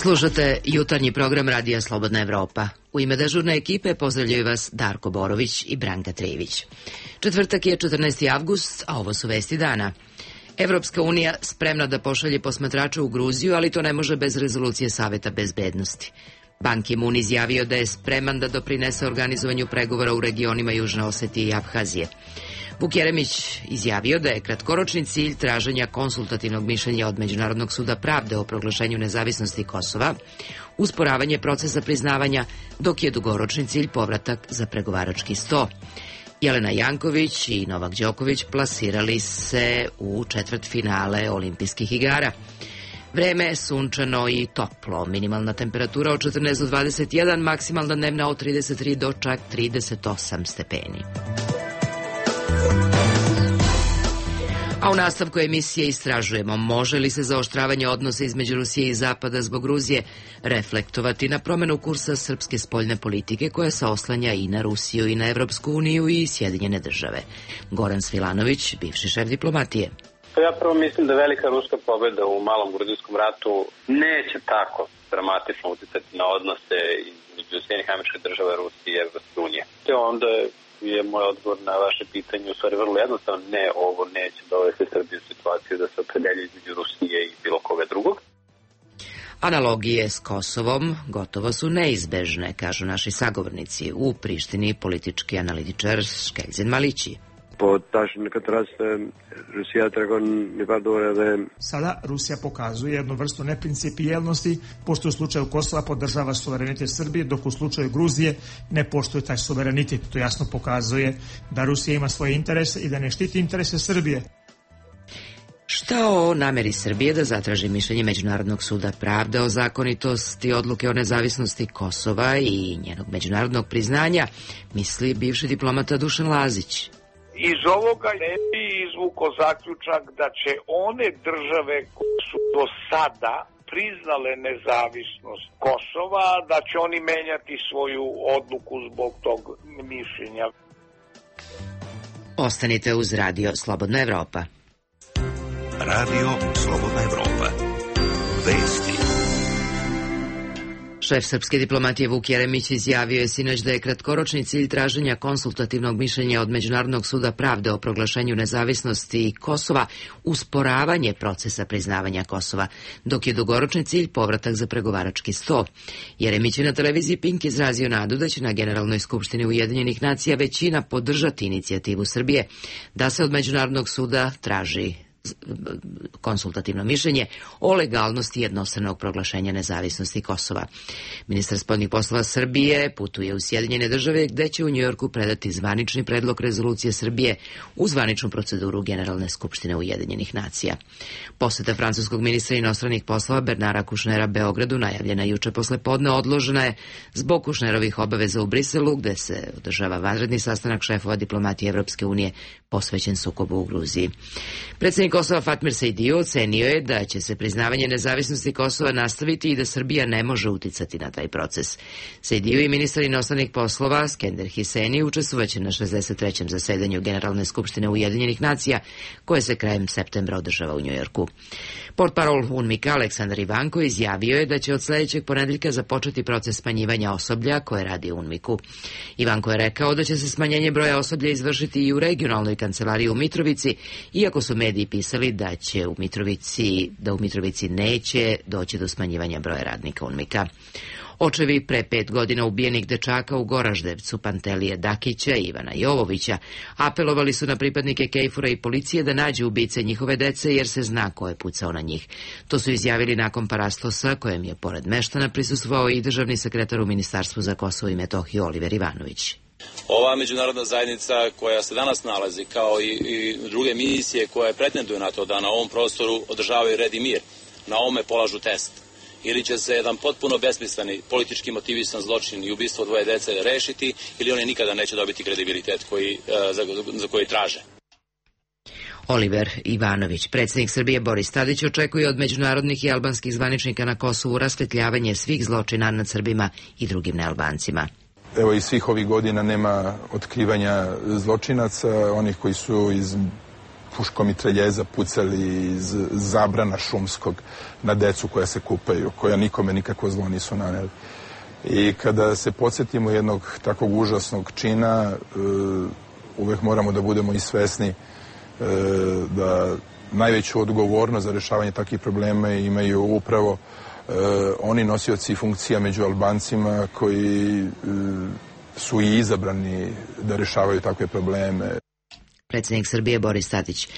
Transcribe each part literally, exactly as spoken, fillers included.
Slušate jutarnji program Radija Slobodna Evropa. U ime dežurne ekipe pozdravljaju vas Darko Borović i Branka Trivić. Četvrtak je četrnaesti avgust, a ovo su vesti dana. Evropska unija spremna da pošalje posmatrača u Gruziju, ali to ne može bez rezolucije Saveta bezbednosti. Ban Ki-moon izjavio da je spreman da doprinese organizovanju pregovora u regionima Južne Osetije i Abhazije. Vuk Jeremić izjavio da je kratkoročni cilj traženja konsultativnog mišljenja od Međunarodnog suda pravde o proglašenju nezavisnosti Kosova, usporavanje procesa priznavanja, dok je dugoročni cilj povratak za pregovarački sto. Jelena Janković i Novak Đoković plasirali se u četvrtfinale olimpijskih igara. Vreme je sunčano i toplo, minimalna temperatura od četrnaest do dvadeset jedan, maksimalna dnevna od trideset tri do čak trideset osam stepeni. A u nastavku emisije istražujemo može li se zaoštravanje odnosa između Rusije i Zapada zbog Gruzije reflektovati na promenu kursa srpske spoljne politike koja se oslanja i na Rusiju i na Evropsku uniju i Sjedinjene države. Goran Svilanović, bivši šef diplomatije. Ja prvo mislim da velika ruska pobjeda u malom gruzijskom ratu neće tako dramatično uticati na odnose između Sjedinjenih Američkih Država, Rusije i Evropske unije. Te onda je moj odgovor na vaše pitanje u stvari vrlo jednostavno. Ne, ovo neće dovesti Srbiju u situaciju da se opredelji između Rusije i bilo koga drugog. Analogije s Kosovom gotovo su neizbežne, kažu naši sagovornici. U Prištini politički analitičar Škeljzen Malići. Sada Rusija pokazuje jednu vrstu neprincipijelnosti, pošto u slučaju Kosova podržava suverenitet Srbije, dok u slučaju Gruzije ne poštuje taj suverenitet. To jasno pokazuje da Rusija ima svoje interese i da ne štiti interese Srbije. Šta o nameri Srbije da zatraži mišljenje Međunarodnog suda pravde o zakonitosti odluke o nezavisnosti Kosova i njenog međunarodnog priznanja, misli bivši diplomata Dušan Lazić. Iz ovoga ne bi izvukao zaključak da će one države koje su do sada priznale nezavisnost Kosova, da će oni menjati svoju odluku zbog tog mišljenja. Ostanite uz Radio Slobodna Evropa. Radio Slobodna Evropa. Vesti. Šef srpske diplomatije Vuk Jeremić izjavio je sinoć da je kratkoročni cilj traženja konsultativnog mišljenja od Međunarodnog suda pravde o proglašenju nezavisnosti Kosova usporavanje procesa priznavanja Kosova, dok je dugoročni cilj povratak za pregovarački sto. Jeremić je na televiziji Pink izrazio nadu da će na Generalnoj skupštini Ujedinjenih nacija većina podržati inicijativu Srbije da se od Međunarodnog suda traži konsultativno mišljenje o legalnosti jednostranog proglašenja nezavisnosti Kosova. Ministar spoljnih poslova Srbije putuje u Sjedinjene države gde će u Njujorku predati zvanični predlog rezolucije Srbije u zvaničnu proceduru Generalne skupštine Ujedinjenih nacija. Poseta francuskog ministra inostranih poslova Bernara Kušnera Beogradu najavljena juče posle podne odložena je zbog Kušnerovih obaveza u Briselu gde se održava vanredni sastanak šefova diplomatije Evropske unije posvećen sukobu u Gruziji. Predsjednik Kosova Fatmir Sejdiu ocenio je da će se priznavanje nezavisnosti Kosova nastaviti i da Srbija ne može uticati na taj proces. Sejdiu i ministar inostranih poslova Skender Hiseni učestvovaće na šezdeset trećem zasedanju Generalne skupštine Ujedinjenih nacija koje se krajem septembra održava u Njujorku. Portparol UNMIK-a Aleksandar Ivanko izjavio je da će od sledećeg ponedeljka započeti proces smanjivanja osoblja koje radi u UNMIK-u. Ivanko je rekao da će se smanjenje broja osoblja izvršiti i u regionalnoj kancelariji u Mitrovici, iako su mediji pisali da će u Mitrovici, da u Mitrovici neće doći do smanjivanja broja radnika UNMIK-a. Očevi pre pet godina ubijenih dečaka u Goraždevcu, Pantelije Dakića i Ivana Jovovića, apelovali su na pripadnike Kejfura i policije da nađu ubice njihove dece jer se zna ko je pucao na njih. To su izjavili nakon paraslosa kojem je pored meštana prisustvovao i državni sekretar u Ministarstvu za Kosovo i Metohiju Oliver Ivanović. Ova međunarodna zajednica koja se danas nalazi, kao i, i druge misije koje pretenduju na to da na ovom prostoru održavaju red i mir, na ovome polažu test. ili će se jedan potpuno besmisleni politički motivisan zločin i ubistvo dvoje dece rešiti, ili oni nikada neće dobiti kredibilitet koji, za, za koji traže. Oliver Ivanović, predsjednik Srbije Boris Tadić, očekuje od međunarodnih i albanskih zvaničnika na Kosovu rasvetljavanje svih zločina nad Srbima i drugim nealbancima. Evo i svih ovih godina nema otkrivanja zločinaca, onih koji su iz puškomitreljeza pucali iz zabrana šumskog na decu koja se kupaju, koja nikome nikakvo zlo nisu naneli. I kada se podsjetimo jednog takvog užasnog čina, uvek moramo da budemo i svesni da najveću odgovornost za rešavanje takvih problema imaju upravo oni nosioci funkcija među Albancima koji su i izabrani da rešavaju takve probleme. Predsjednik Srbije Boris Tadić.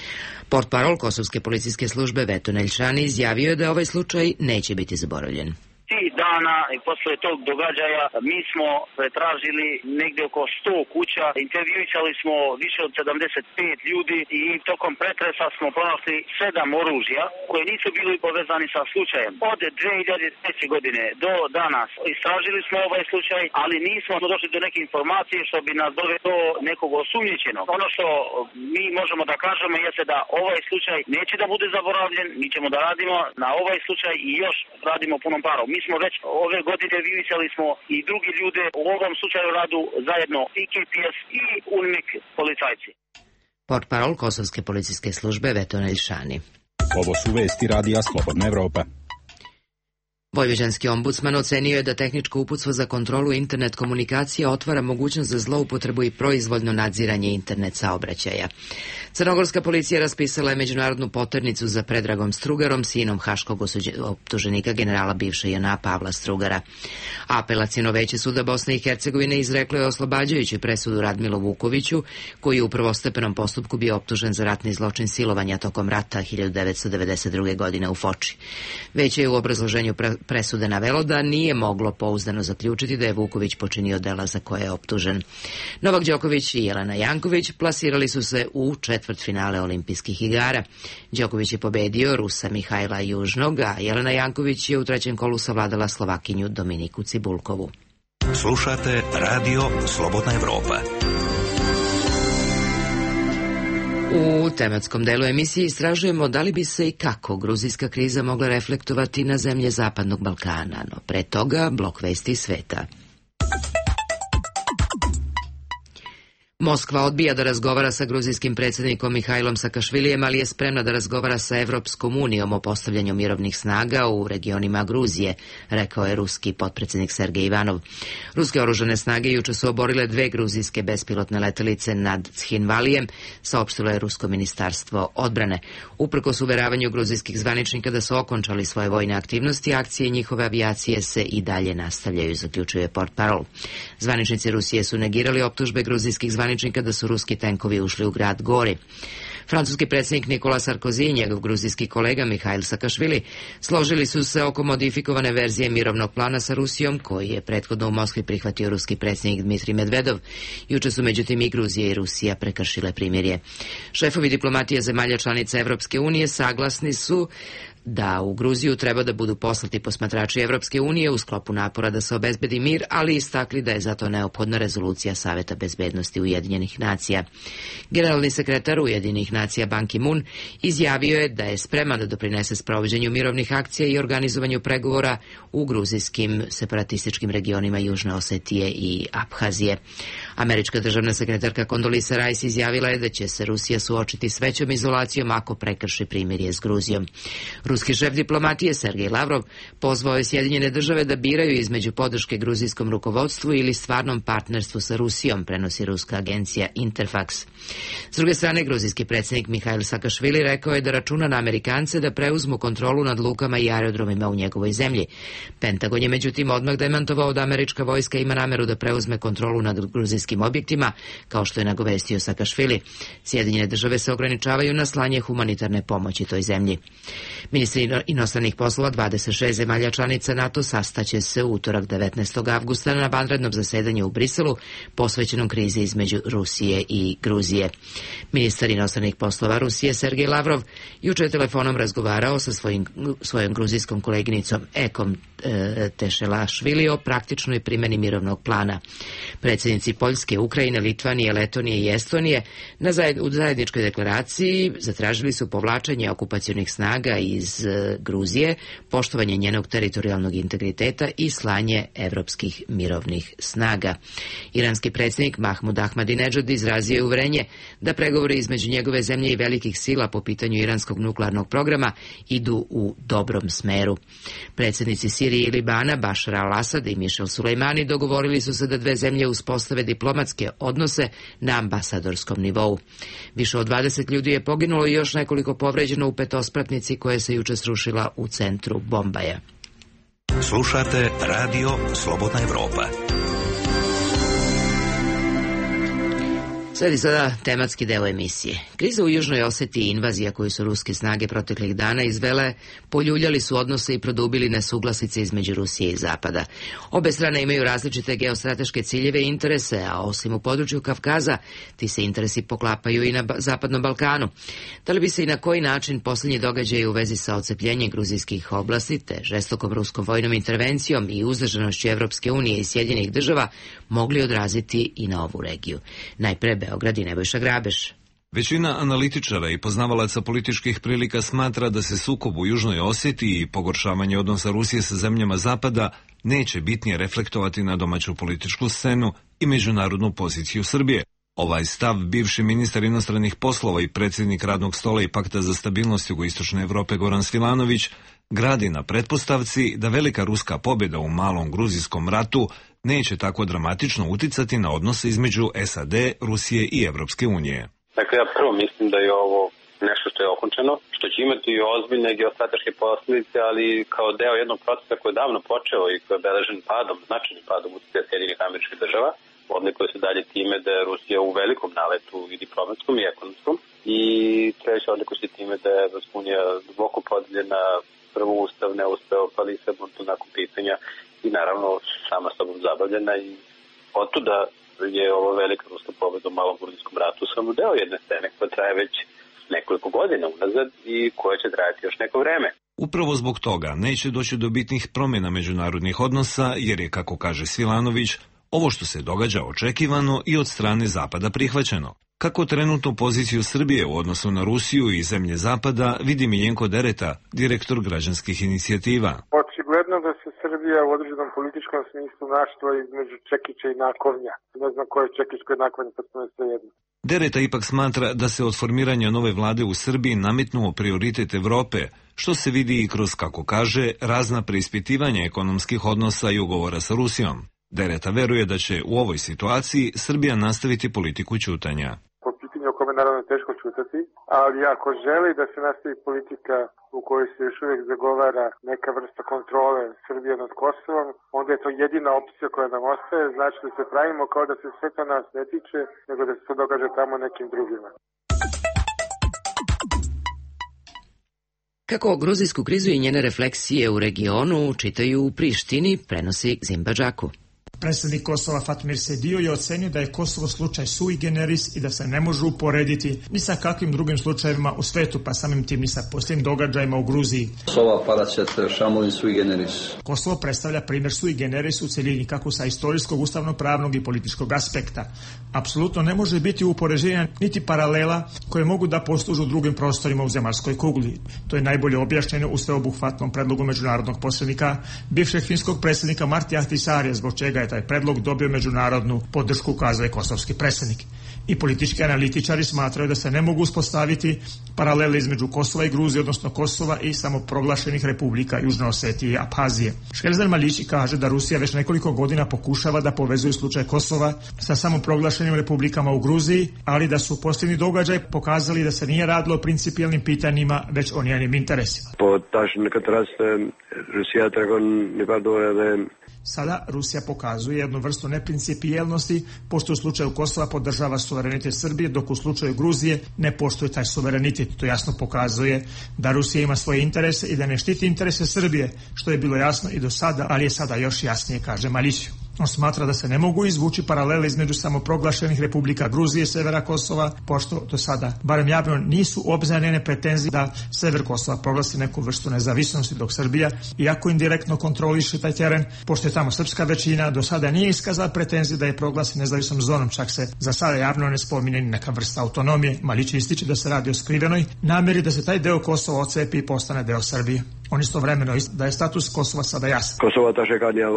Portparol Kosovske policijske službe Veto Neljšani izjavio je da ovaj slučaj neće biti zaboravljen. Tih dana i posle tog događaja mi smo pretražili negde oko sto kuća, intervjuisali smo više od sedamdeset pet ljudi i tokom pretresa smo pronašli sedam oružja koje nisu bili povezani sa slučajem. Od dve hiljade treće. godine do danas istražili smo ovaj slučaj, ali nismo došli do neke informacije što bi nas dovelo do nekog osumnjičenog. Ono što mi možemo da kažemo jeste da ovaj slučaj neće da bude zaboravljen, mi ćemo da radimo na ovaj slučaj i još radimo punom parom. Mi smo već ove godine vidjeli smo i drugi ljude u ovom slučaju radu zajedno i K P S i U N M I K policajci. Portparol Kosovske policijske službe Veto Neljšani. Ovo su vesti radija Slobodna Evropa. Vojvođanski ombudsman ocenio je da tehničko uputstvo za kontrolu internet komunikacije otvara mogućnost za zloupotrebu i proizvoljno nadziranje internet saobraćaja. Crnogorska policija raspisala je međunarodnu poternicu za Predragom Strugarom, sinom haškog optuženika generala bivše J N A Pavla Strugara. Apelaciono veće suda Bosne i Hercegovine izreklo je oslobađajuću presudu Radmilu Vukoviću, koji je u prvostepenom postupku bio optužen za ratni zločin silovanja tokom rata hiljadu devetsto devedeset druge. godine u Foči. Veće je u obrazloženju presude navelo da nije moglo pouzdano zaključiti da je Vuković počinio dela za koje je optužen. Novak Đoković i Jelena Janković plasirali su se u četvrtfinale olimpijskih igara. Đoković je pobedio Rusa Mihajla Južnog, a Jelena Janković je u trećem kolu savladala Slovakinju Dominiku Cibulkovu. Slušate Radio Slobodna Evropa. U tematskom delu emisije istražujemo da li bi se i kako gruzijska kriza mogla reflektovati na zemlje Zapadnog Balkana, no pre toga blok vesti sveta. Moskva odbija da razgovara sa gruzijskim predsjednikom Mihajlom Sakašvilijem, ali je spremna da razgovara sa Evropskom unijom o postavljanju mirovnih snaga u regionima Gruzije, rekao je ruski potpredsjednik Sergej Ivanov. Ruske oružane snage juče su oborile dve gruzijske bespilotne letelice nad Tshinvalijem, saopštilo je rusko ministarstvo odbrane. Uprkos uveravanju gruzijskih zvaničnika da su okončali svoje vojne aktivnosti, akcije njihove avijacije se i dalje nastavljaju, zaključuje portparol. Zvaničnici Rusije su negirali optužbe gruzijskih zvaničnika da su ruski tenkovi ušli u grad Gori. Francuski predsjednik Nikola Sarkozy i njegov gruzijski kolega Mihajl Sakašvili složili su se oko modifikovane verzije mirovnog plana sa Rusijom, koji je prethodno u Moskvi prihvatio ruski predsjednik Dmitrij Medvedov. Juče su međutim i Gruzija i Rusija prekršile primirje. Šefovi diplomatije zemalja članica Evropske unije saglasni su da u Gruziju treba da budu poslati posmatrači Evropske unije u sklopu napora da se obezbedi mir, ali istakli da je zato neophodna rezolucija Saveta bezbednosti Ujedinjenih nacija. Generalni sekretar Ujedinjenih nacija Ban Ki-moon izjavio je da je spreman da doprinese sprovođenju mirovnih akcija i organizovanju pregovora u gruzijskim separatističkim regionima Južne Osetije i Abhazije. Američka državna sekretarka Condoleezza Rice izjavila je da će se Rusija suočiti s većom izolacijom ako prekrši primirje s Gruzijom. Ruski šef diplomatije Sergej Lavrov pozvao je Sjedinjene države da biraju između podrške gruzijskom rukovodstvu ili stvarnom partnerstvu sa Rusijom, prenosi ruska agencija Interfax. S druge strane, gruzijski predsjednik Mihajl Sakašvili rekao je da računa na Amerikance da preuzmu kontrolu nad lukama i aerodromima u njegovoj zemlji. Pentagon je međutim odmah demantovao da američka vojska ima nameru da preuzme kontrolu nad gruzijskim objektima, kao što je nagovestio Sakašvili. Sjedinjene države se ograničavaju na slanje humanitarne pomoći toj zemlji. Ministar Ministri inostranih poslova dvadeset šest zemalja članica NATO sastaće se u utorak devetnaestog avgusta na vanrednom zasedanju u Briselu posvećenom krizi između Rusije i Gruzije. Ministar inostranih poslova Rusije Sergej Lavrov juče je telefonom razgovarao sa svojim, svojom gruzijskom koleginicom Ekom e, Tešelašvili o praktičnoj primjeni mirovnog plana. Predsjednici Poljske, Ukrajine, Litvanije, Letonije i Estonije na zajed, u zajedničkoj deklaraciji zatražili su povlačenje okupacionih snaga iz e, Gruzije, poštovanje njenog teritorijalnog integriteta i slanje evropskih mirovnih snaga. Iranski predsjednik Mahmud Ahmadinejad izrazio je uverenje da pregovori između njegove zemlje i velikih sila po pitanju iranskog nuklearnog programa idu u dobrom smeru. Predsjednici Sirije i Libana Bašar al-Asad i Mišel Sulejmani dogovorili su se da dve zemlje uspostave diplomatske odnose na ambasadorskom nivou. Više od dvadeset ljudi je poginulo i još nekoliko povređeno u petospratnici koja se juče srušila u centru Bombaja. Slušate Radio Slobodna Evropa. Sledi sada tematski deo emisije. Kriza u Južnoj Osetiji i invazija koju su ruske snage proteklih dana izvele, poljuljali su odnose i produbili nesuglasice između Rusije i Zapada. Obe strane imaju različite geostrateške ciljeve i interese, a osim u području Kavkaza, ti se interesi poklapaju i na Zapadnom Balkanu. Da li bi se i na koji način posljednji događaji u vezi sa odcepljenjem gruzijskih oblasti, te žestokom ruskom vojnom intervencijom i uzdržanošću Evropske unije i Sjedinjenih država mogli odraziti i na ovu regiju? Najpre Beograd i Nebojša Grabeš. Većina analitičara i poznavalaca političkih prilika smatra da se sukob u Južnoj Osetiji i pogoršavanje odnosa Rusije sa zemljama Zapada neće bitnije reflektovati na domaću političku scenu i međunarodnu poziciju Srbije. Ovaj stav bivši ministar inostranih poslova i predsjednik Radnog stola i Pakta za stabilnost Jugoistočne Evrope Goran Svilanović gradi na pretpostavci da velika ruska pobjeda u malom gruzijskom ratu neće tako dramatično uticati na odnose između S A D, Rusije i Evropske unije. Dakle, ja prvo mislim da je ovo nešto što je okončano, što će imati i ozbiljne geostrateške posljedice, ali kao deo jednog procesa koji je davno počeo i koji je obeležen padom, značajnim padom uticaja Sjedinjenih Američkih Država, odlikuje se dalje time da je Rusija u velikom naletu i diplomatskom i ekonomskom, i treće odlikuje se time da je Evropska unija duboko podeljena, prvo ustav ne uspeo, pa Lisabon tu nakon pitanja i naravno sama sobom zabavljena, i otuda je ovo velika ruska pobjeda u malom gruzijskom ratu samo deo jedne scene koja traje već nekoliko godina unazad i koja će trajati još neko vreme. Upravo zbog toga neće doći do bitnih promjena međunarodnih odnosa, jer je, kako kaže Svilanović, ovo što se događa očekivano i od strane Zapada prihvaćeno. Kako trenutnu poziciju Srbije u odnosu na Rusiju i zemlje Zapada vidi Miljenko Dereta, direktor građanskih inicijativa. Očigledno da se Srbija u određenom političkom smislu našla između čekića i nakovnja. Ne znam ko je čekić, ko je nakovnja, pa smo sve jedno. Dereta ipak smatra da se od formiranja nove vlade u Srbiji nametnuo prioritet Evrope, što se vidi i kroz, kako kaže, razna preispitivanja ekonomskih odnosa i ugovora sa Rusijom. Dereta veruje da će u ovoj situaciji Srbija nastaviti politiku ćutanja. Po pitanju o kome naravno je teško ćutati, ali ako želi da se nastavi politika u kojoj se još uvijek zagovara neka vrsta kontrole Srbije nad Kosovom, onda je to jedina opcija koja nam ostaje, znači da se pravimo kao da se sve to nas ne tiče, nego da se to događa tamo nekim drugima. Kako gruzijsku krizu i njene refleksije u regionu čitaju u Prištini, prenosi Zimba Džaku. Predsjednik Kosova Fatmir Sedio je ocenio da je Kosovo slučaj sui generis i da se ne može uporediti ni sa kakvim drugim slučajevima u svetu, pa samim tim ni sa posljednjim događajima u Gruziji. Kosovo predstavlja primjer sui generis u celini, kako sa istorijskog, ustavno-pravnog i političkog aspekta. Apsolutno ne može biti upoređenja niti paralela koje mogu da poslužu u drugim prostorima u zemaljskoj kugli. To je najbolje objašnjeno u sveobuhvatnom predlogu međunarodnog posrednika, bivšeg finskog predsjednika Marti Ahtisaarija, zbog čega je taj predlog dobio međunarodnu podršku, ukazuje kosovski predsjednik. I politički analitičari smatraju da se ne mogu uspostaviti paralele između Kosova i Gruzije, odnosno Kosova i samoproglašenih republika Južne Osetije i Abhazije. Škelzer Malići kaže da Rusija već nekoliko godina pokušava da povezuje slučaj Kosova sa samoproglašenim republikama u Gruziji, ali da su posljednji događaj pokazali da se nije radilo o principijelnim pitanjima, već o njenim interesima. Sada Rusija pokazuje jednu vrstu neprincipijelnosti, pošto u slučaju Kosova podržava suverenitet Srbije, dok u slučaju Gruzije ne poštuje taj suverenitet. To jasno pokazuje da Rusija ima svoje interese i da ne štiti interese Srbije, što je bilo jasno i do sada, ali je sada još jasnije, kaže Maliću. On smatra da se ne mogu izvući paralele između samoproglašenih republika Gruzije i severa Kosova, pošto do sada, barem javno, nisu obznanjene pretenzije da sever Kosova proglasi neku vrstu nezavisnosti, dok Srbija, iako indirektno kontroliše taj teren, pošto je tamo srpska većina, do sada nije iskazala pretenzije da je proglasi nezavisnom zonom, čak se za sada javno ne spominje ni neka vrsta autonomije. Malić ističe da se radi o skrivenoj namjeri da se taj deo Kosova ocepi i postane deo Srbije. On istovremeno da je status Kosova sada jasan. Kosova tashekania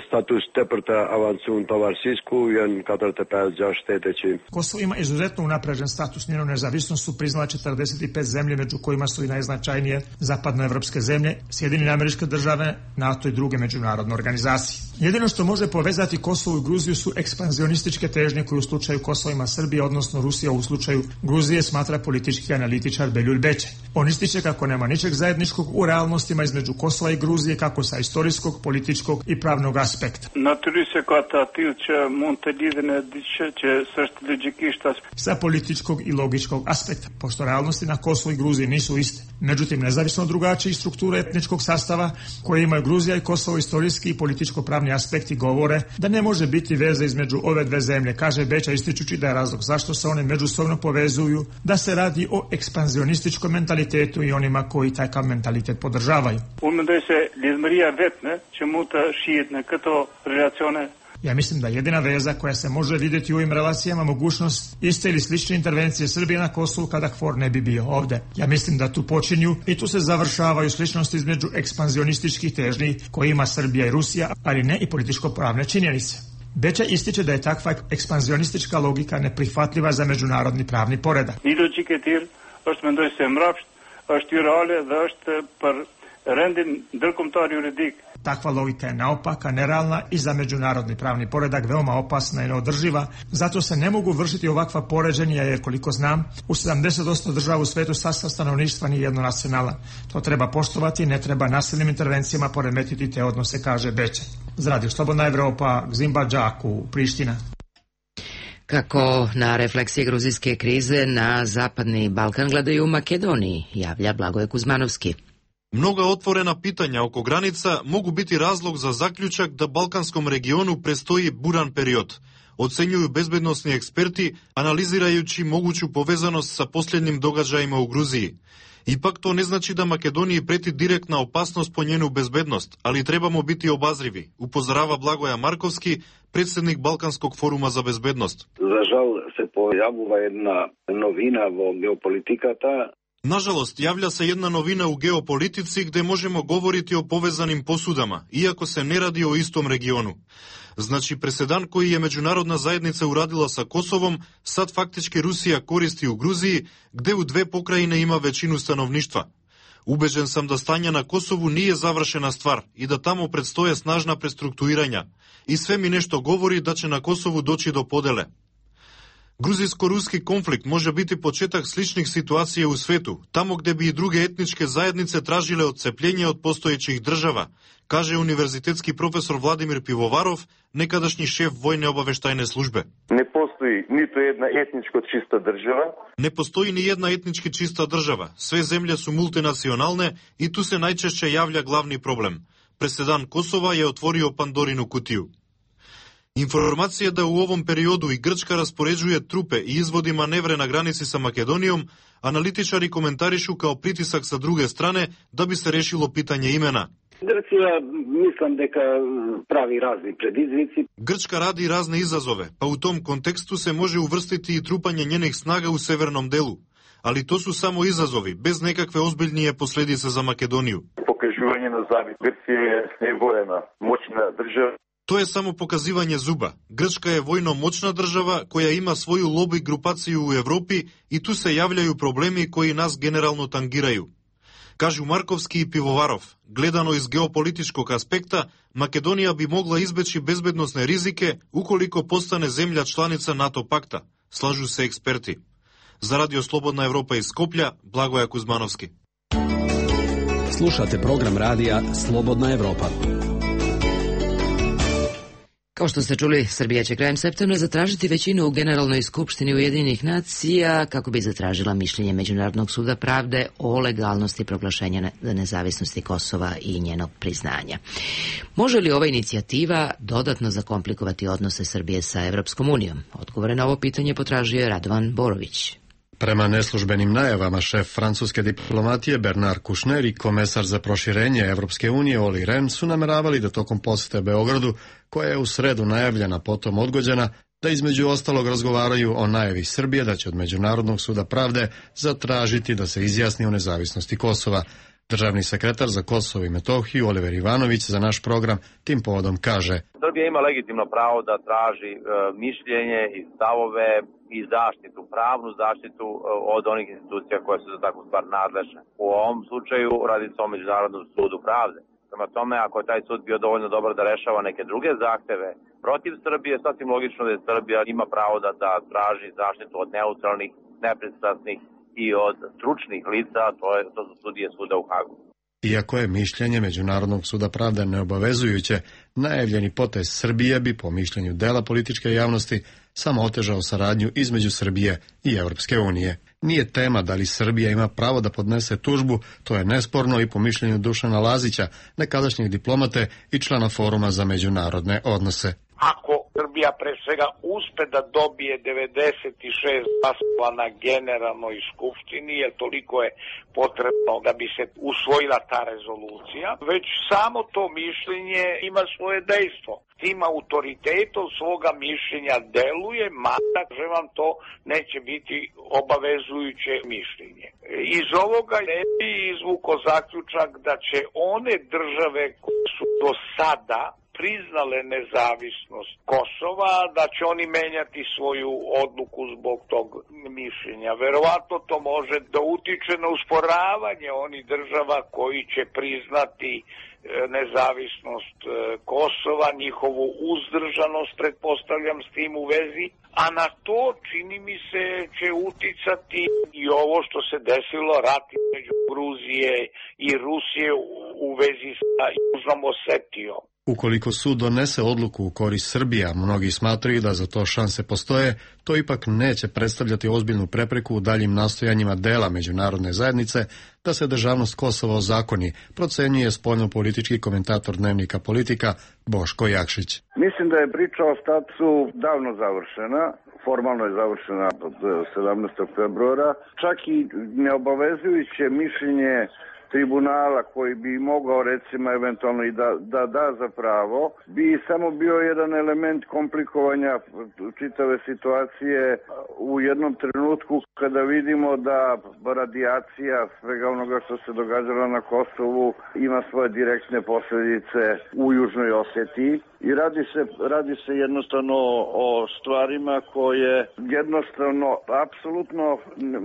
status tepërta avancun tovarsisku janë katërdhjetë e pesë shtete që Kosovo ima izuzetno unapređen status. Njenu nezavisnost su priznala četrdeset i pet zemlje, među kojima su i najznačajnije zapadnoevropske zemlje, Sjedinjene Američke Države, NATO i druge međunarodne organizacije. Jedino što može povezati Kosovo i Gruziju su ekspanzionističke težnje koje u slučaju Kosova ima Srbija, odnosno Rusija u slučaju Gruzije, smatra politički analitičar Beljul Bećaj. On ističe kako nema ničeg zajedničkog u realnostima između Kosova i Gruzije, kako sa istorijskog, političkog i pravnog aspekta. Sa političkog i logičkog aspekta, pošto realnosti na Kosovo i Gruziji nisu iste. Međutim, nezavisno od drugačijih struktura etničkog sastava koje imaju Gruzija i Kosovo, istorijski i političko-pravni aspekti govore da ne može biti veze između ove dve zemlje, kaže Bećaj, ističući da je razlog zašto se one međusobno povezuju, da se radi o ekspanzionističkom mentalitetu i onima koji taj mentalitet podržavaju. Ja mislim da jedina veza koja se može vidjeti u ovim relacijama mogućnost iste ili slične intervencije Srbije na Kosovu kada KFOR ne bi bio ovde. Ja mislim da tu počinju i tu se završavaju sličnosti između ekspanzionističkih težnji koje ima Srbija i Rusija, ali ne i političko-pravne činjenice. Bećaj ističe da je takva ekspanzionistička logika neprihvatljiva za međunarodni pravni poredak. është mendoj se mrapsht, është irreale dhe është për rendin ndërkombëtar juridik. Takva logika je naopaka, nerealna i za međunarodni pravni poredak veoma opasna i neodrživa. Zato se ne mogu vršiti ovakva poređenja jer, koliko znam, u sedamdeset posto država u svetu sastav stanovništva nije jednonacionalan. To treba poštovati, ne treba nasilnim intervencijama poremetiti te odnose, kaže Bećaj. Za Radio Slobodna Evropa, Gzimba Džaku, Priština. Kako na refleksije gruzijske krize na Zapadni Balkan gledaju u Makedoniji, javlja Blagoje Kuzmanovski. Mnoga otvorena pitanja oko granica mogu biti razlog za zaključak da Balkanskom regionu prestoji buran period, ocenjuju bezbednosni eksperti analizirajući moguću povezanost sa posljednjim događajima u Gruziji. Ipak to ne znači da Makedoniji preti direktna opasnost po njenu bezbednost, ali trebamo biti obazrivi, upozorava Blagoja Markovski, predsjednik Balkanskog foruma za bezbednost. Za žal se pojavila jedna novina vo geopolitikata. Nažalost, javlja se jedna novina u geopolitici gde možemo govoriti o povezanim posudama, iako se ne radi o istom regionu. Znači, presedan koji je međunarodna zajednica uradila sa Kosovom, sad faktički Rusija koristi u Gruziji, gde u dve pokrajine ima većinu stanovništva. Ubeđen sam da stanje na Kosovu nije završena stvar i da tamo predstoje snažna prestrukturiranja. I sve mi nešto govori da će na Kosovu doći do podele. Gruzijsko-ruski konflikt može biti početak sličnih situacija u svetu, tamo gde bi i druge etničke zajednice tražile odcepljenje od postojećih država, kaže univerzitetski profesor Vladimir Pivovarov, nekadašnji šef vojne obaveštajne službe. Ne postoji niti jedna etničko čista država. Ne postoji ni jedna etnički čista država. Sve zemlje su multinacionalne i tu se najčešće javlja glavni problem. Presedan Kosova je otvorio Pandorinu kutiju. Informacija da u ovom periodu i Grčka raspoređuje trupe i izvodi manevre na granici sa Makedonijom, analitičari komentarišu kao pritisak sa druge strane da bi se rešilo pitanje imena. Grčka, mislim deka pravi razni prediznici. Grčka radi razne izazove, pa u tom kontekstu se može uvrstiti i trupanje njenih snaga u severnom delu. Ali to su samo izazovi, bez nekakve ozbiljnije posljedice za Makedoniju. Pokaživanje na zavid. Grčka je vojna, moćna država. To je samo pokazivanje zuba. Grčka je vojno moćna država koja ima svoju lobby grupaciju u Evropi i tu se javljaju problemi koji nas generalno tangiraju. Kažu Markovski i Pivovarov, gledano iz geopolitičkog aspekta, Makedonija bi mogla izbeći bezbednosne rizike ukoliko postane zemlja članica NATO pakta, slažu se eksperti. Za Radio Slobodna Evropa iz Skoplja, Blagoja Kuzmanovski. Slušate program radija Slobodna Evropa. Kao što ste čuli, Srbija će krajem septembra zatražiti većinu u Generalnoj skupštini Ujedinjenih nacija kako bi zatražila mišljenje Međunarodnog suda pravde o legalnosti proglašenja nezavisnosti Kosova i njenog priznanja. Može li ova inicijativa dodatno zakomplikovati odnose Srbije sa Evropskom unijom? Odgovore na ovo pitanje potražio je Radovan Borović. Prema neslužbenim najavama, šef francuske diplomatije Bernard Kouchner i komesar za proširenje Evropske unije Olli Rehn su nameravali da tokom posete Beogradu, koja je u sredu najavljena, potom odgođena, da između ostalog razgovaraju o najavi Srbije da će od Međunarodnog suda pravde zatražiti da se izjasni o nezavisnosti Kosova. Državni sekretar za Kosovo i Metohiju Oliver Ivanović za naš program tim povodom kaže: Srbija ima legitimno pravo da traži e, mišljenje i stavove i zaštitu, pravnu zaštitu e, od onih institucija koje su za takvu stvar nadležne. U ovom slučaju radi se o Međunarodnom sudu pravde. Prema tome, ako je taj sud bio dovoljno dobar da rešava neke druge zahteve protiv Srbije, sasvim logično da je Srbija ima pravo da, da traži zaštitu od neutralnih, nepristrasnih i od stručnih lica, to, je, to su sudije suda u Hagu. Iako je mišljenje Međunarodnog suda pravde neobavezujuće, najavljeni potez Srbije bi, po mišljenju dela političke javnosti, samo otežao saradnju između Srbije i Evropske unije. Nije tema da li Srbija ima pravo da podnese tužbu, to je nesporno i po mišljenju Dušana Lazića, nekadašnjeg diplomate i člana Foruma za međunarodne odnose. Ako Srbija pre svega uspe da dobije devedeset šest glasova na Generalnoj skupštini, jer toliko je potrebno da bi se usvojila ta rezolucija, već samo to mišljenje ima svoje dejstvo. Tim autoritetom svoga mišljenja deluje, mada že vam to neće biti obavezujuće mišljenje. Iz ovoga ne bi izvuko zaključak da će one države koje su do sada priznale nezavisnost Kosova, da će oni menjati svoju odluku zbog tog mišljenja. Verovatno to može da utiče na usporavanje onih država koji će priznati nezavisnost Kosova, njihovu uzdržanost, pretpostavljam s tim u vezi, a na to čini mi se će uticati i ovo što se desilo, rat između Gruzije i Rusije u vezi sa Južnom Osetijom. Ukoliko sud donese odluku u korist Srbije, a mnogi smatraju da za to šanse postoje, to ipak neće predstavljati ozbiljnu prepreku u daljim nastojanjima dela međunarodne zajednice da se državnost Kosova ozakoni, procenjuje spoljno-politički komentator Dnevnika Politika Boško Jakšić. Mislim da je priča o statusu davno završena. Formalno je završena od sedamnaestog februara. Čak i neobavezujuće mišljenje tribunala koji bi mogao recimo eventualno i da, da da za pravo, bi samo bio jedan element komplikovanja čitave situacije u jednom trenutku kada vidimo da radijacija svega onoga što se događalo na Kosovu ima svoje direktne posljedice u Južnoj Osetiji. I radi se, radi se jednostavno o stvarima koje jednostavno, apsolutno,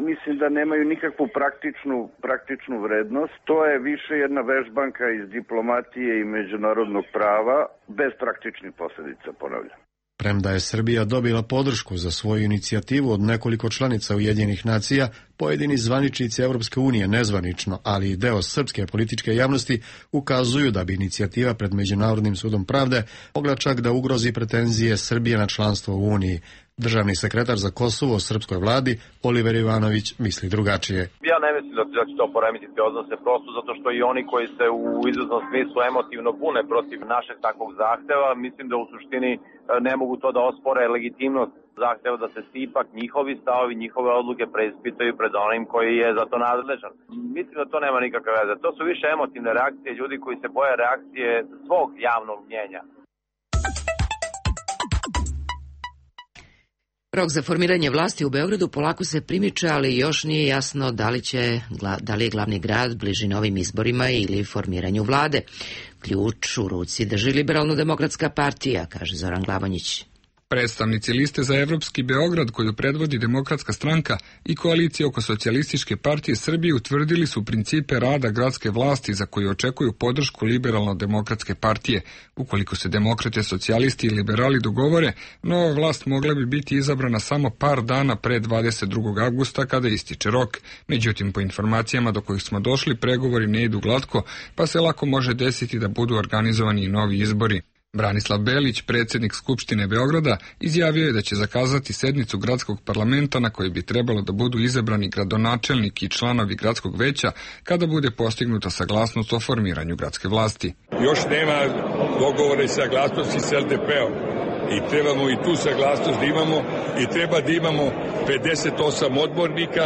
mislim da nemaju nikakvu praktičnu, praktičnu vrednost. To je više jedna vežbanka iz diplomatije i međunarodnog prava, bez praktičnih posljedica, ponavljam. Premda je Srbija dobila podršku za svoju inicijativu od nekoliko članica Ujedinjenih nacija, pojedini zvaničnici Evropske unije nezvanično, ali i deo srpske političke javnosti ukazuju da bi inicijativa pred Međunarodnim sudom pravde mogla čak da ugrozi pretenzije Srbije na članstvo u Uniji. Državni sekretar za Kosovo u srpskoj vladi Oliver Ivanović misli drugačije. Ja ne mislim da će to poremetiti odnose, prosto zato što i oni koji se u izvesnom smislu emotivno bune protiv našeg takvog zahteva, mislim da u suštini ne mogu to da ospore legitimnost zahteva da se ipak njihovi stavovi, njihove odluke preispitaju pred onim koji je za to nadležan. Mislim da to nema nikakve veze. To su više emotivne reakcije ljudi koji se boje reakcije svog javnog mnjenja. Rok za formiranje vlasti u Beogradu polako se primiče, ali još nije jasno da li, će, da li je glavni grad bliži novim izborima ili formiranju vlade. Ključ u ruci drži Liberalno-demokratska partija, kaže Zoran Glavonjić. Predstavnici liste za Evropski Beograd, koju predvodi Demokratska stranka, i koalicije oko Socijalističke partije Srbije utvrdili su principe rada gradske vlasti za koje očekuju podršku Liberalno-demokratske partije. Ukoliko se demokrate, socijalisti i liberali dogovore, nova vlast mogla bi biti izabrana samo par dana pre dvadeset drugog avgusta kada ističe rok. Međutim, po informacijama do kojih smo došli, pregovori ne idu glatko, pa se lako može desiti da budu organizovani i novi izbori. Branislav Belić, predsjednik Skupštine Beograda, izjavio je da će zakazati sednicu gradskog parlamenta na kojoj bi trebalo da budu izabrani gradonačelnik i članovi gradskog veća kada bude postignuta saglasnost o formiranju gradske vlasti. Još nema dogovore i saglasnosti s L D P-om i trebamo i tu saglasnost da imamo i treba da imamo pedeset osam odbornika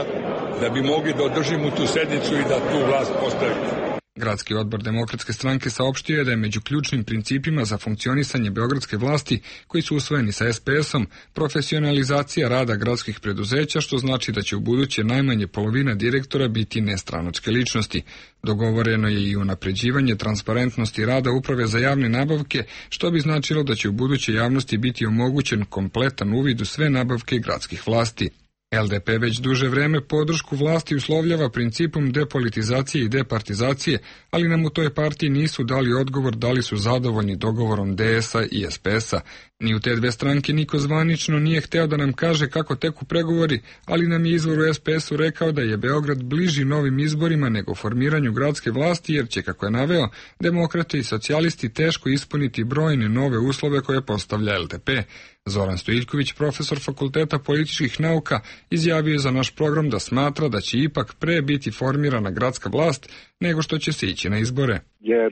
da bi mogli da održimo tu sednicu i da tu vlast postavimo. Gradski odbor Demokratske stranke saopštio je da je među ključnim principima za funkcionisanje beogradske vlasti, koji su usvojeni sa S P S-om, profesionalizacija rada gradskih preduzeća, što znači da će u buduće najmanje polovina direktora biti nestranačke ličnosti. Dogovoreno je i unapređivanje transparentnosti rada Uprave za javne nabavke, što bi značilo da će u buduće javnosti biti omogućen kompletan uvid u sve nabavke gradskih vlasti. L D P već duže vreme podršku vlasti uslovljava principom depolitizacije i departizacije, ali nam u toj partiji nisu dali odgovor da li su zadovoljni dogovorom D S-a i S P S-a. Ni u te dve stranke niko zvanično nije hteo da nam kaže kako teku pregovori, ali nam je izvor u S P S-u rekao da je Beograd bliži novim izborima nego formiranju gradske vlasti, jer će, kako je naveo, demokrate i socijalisti teško ispuniti brojne nove uslove koje postavlja L D P. Zoran Stojiljković, profesor Fakulteta političkih nauka, izjavio je za naš program da smatra da će ipak pre biti formirana gradska vlast nego što će se ići na izbore. Jer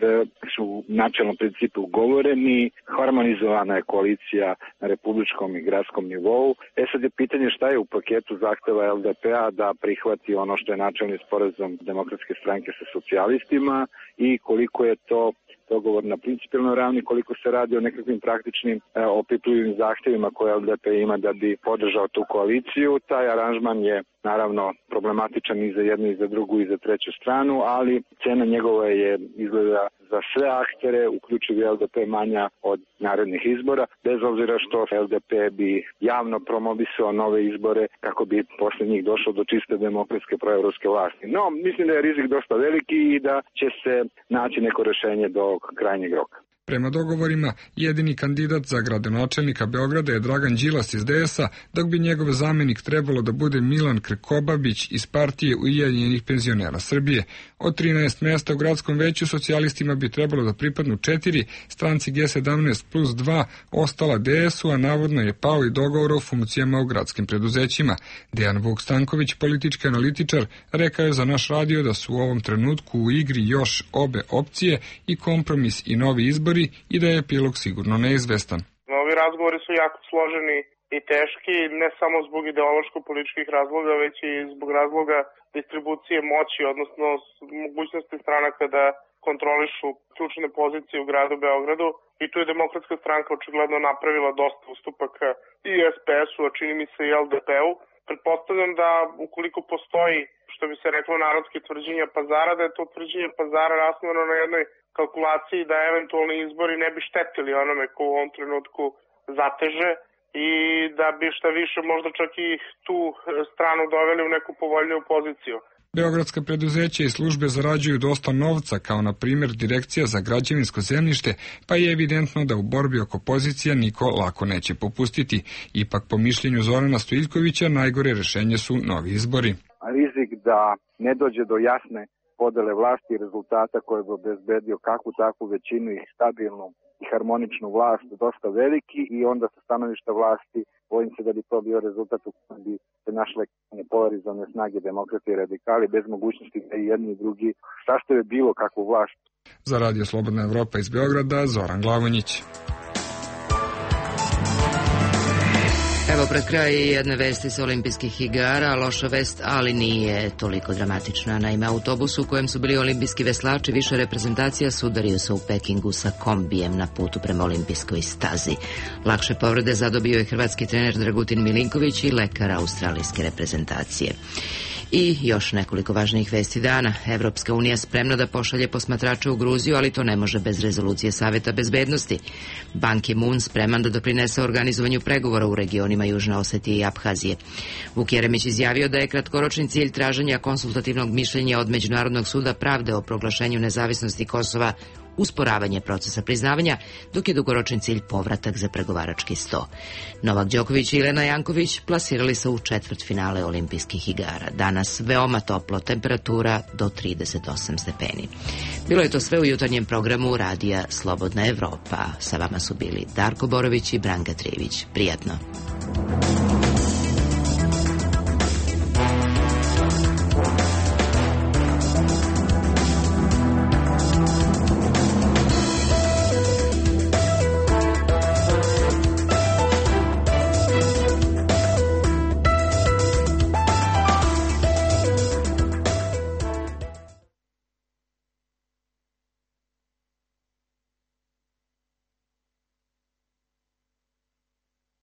su načelno principi ugovoreni, harmonizovana je koalicija na republičkom i gradskom nivou. E sad je pitanje šta je u paketu zahteva L D P-a da prihvati ono što je načelni sporazum Demokratske stranke sa socijalistima i koliko je to dogovor na principijelnoj ravni, koliko se radi o nekakvim praktičnim e, opipljivim zahtjevima koje L D P ima da bi podržao tu koaliciju. Taj aranžman je naravno problematičan i za jednu i za drugu i za treću stranu, ali cena njegova je izgleda za sve aktere, uključivi L D P, manja od narednih izbora, bez obzira što L D P bi javno promovisao nove izbore kako bi posle njih došlo do čiste demokratske proevropske vlasti. No, mislim da je rizik dosta veliki i da će se naći neko rešenje do krajnjeg roka. Prema dogovorima, jedini kandidat za gradonačelnika Beograda je Dragan Đilas iz D S-a, dok bi njegov zamenik trebalo da bude Milan Krkobabić iz partije Ujedinjenih penzionera Srbije. Od trinaest mesta u gradskom veću socijalistima bi trebalo da pripadnu četiri, stranci G sedamnaest plus dva, ostala D S-u, a navodno je pao i dogovor o funkcijama u gradskim preduzećima. Dejan Vuk Stanković, politički analitičar, rekao je za naš radio da su u ovom trenutku u igri još obe opcije, i kompromis i novi izbori, i da je epilog sigurno neizvestan. Ovi razgovori su jako složeni i teški, ne samo zbog ideološko-političkih razloga, već i zbog razloga distribucije moći, odnosno mogućnosti stranaka da kontrolišu ključne pozicije u gradu Beogradu. I tu je Demokratska stranka očigledno napravila dosta ustupaka i S P S-u, a čini mi se i L D P-u. Pretpostavljam da ukoliko postoji, što bi se reklo, narodske tvrđenja pazara, da je to tvrđenje pazara rasnovano na jednoj kalkulaciji da eventualni izbori ne bi štetili onome ko u ovom trenutku zateže i da bi šta više možda čak i tu stranu doveli u neku povoljniju poziciju. Beogradska preduzeća i službe zarađuju dosta novca, kao na primjer Direkcija za građevinsko zemljište, pa je evidentno da u borbi oko pozicija niko lako neće popustiti. Ipak, po mišljenju Zorana Stojiljkovića, najgore rešenje su novi izbori. Rizik da ne dođe do jasne podele vlasti i rezultata koje bi obezbedio kakvu takvu većinu i stabilnu i harmoničnu vlast dosta veliki, i onda sa stanovišta vlasti bojim se da bi to bio rezultat u kojem bi se našle polarizovane snage demokrati i radikali bez mogućnosti da i jedni i drugi sastave bilo kakvu vlast. Za Radio Slobodna Evropa iz Beograda, Zoran Glavonjić. Evo pred kraj jedne vesti sa olimpijskih igara, loša vest, ali nije toliko dramatična. Naime, autobus u kojem su bili olimpijski veslači više reprezentacija sudario se u Pekingu sa kombijem na putu prema olimpijskoj stazi. Lakše povrede zadobio je hrvatski trener Dragutin Milinković i lekar australijske reprezentacije. I još nekoliko važnijih vesti dana. Evropska unija spremna da pošalje posmatrače u Gruziju, ali to ne može bez rezolucije Saveta bezbednosti. Ban Ki-moon spreman da doprinese organizovanju pregovora u regionima Južne Osetije i Abhazije. Vuk Jeremić izjavio da je kratkoročni cilj traženja konsultativnog mišljenja od Međunarodnog suda pravde o proglašenju nezavisnosti Kosova usporavanje procesa priznavanja, dok je dugoročni cilj povratak za pregovarački sto. Novak Đoković i Jelena Janković plasirali se u četvrtfinale olimpijskih igara. Danas veoma toplo, temperatura do trideset osam stepeni. Bilo je to sve u jutarnjem programu radija Slobodna Evropa. Sa vama su bili Darko Borović i Branka Trijević. Prijatno.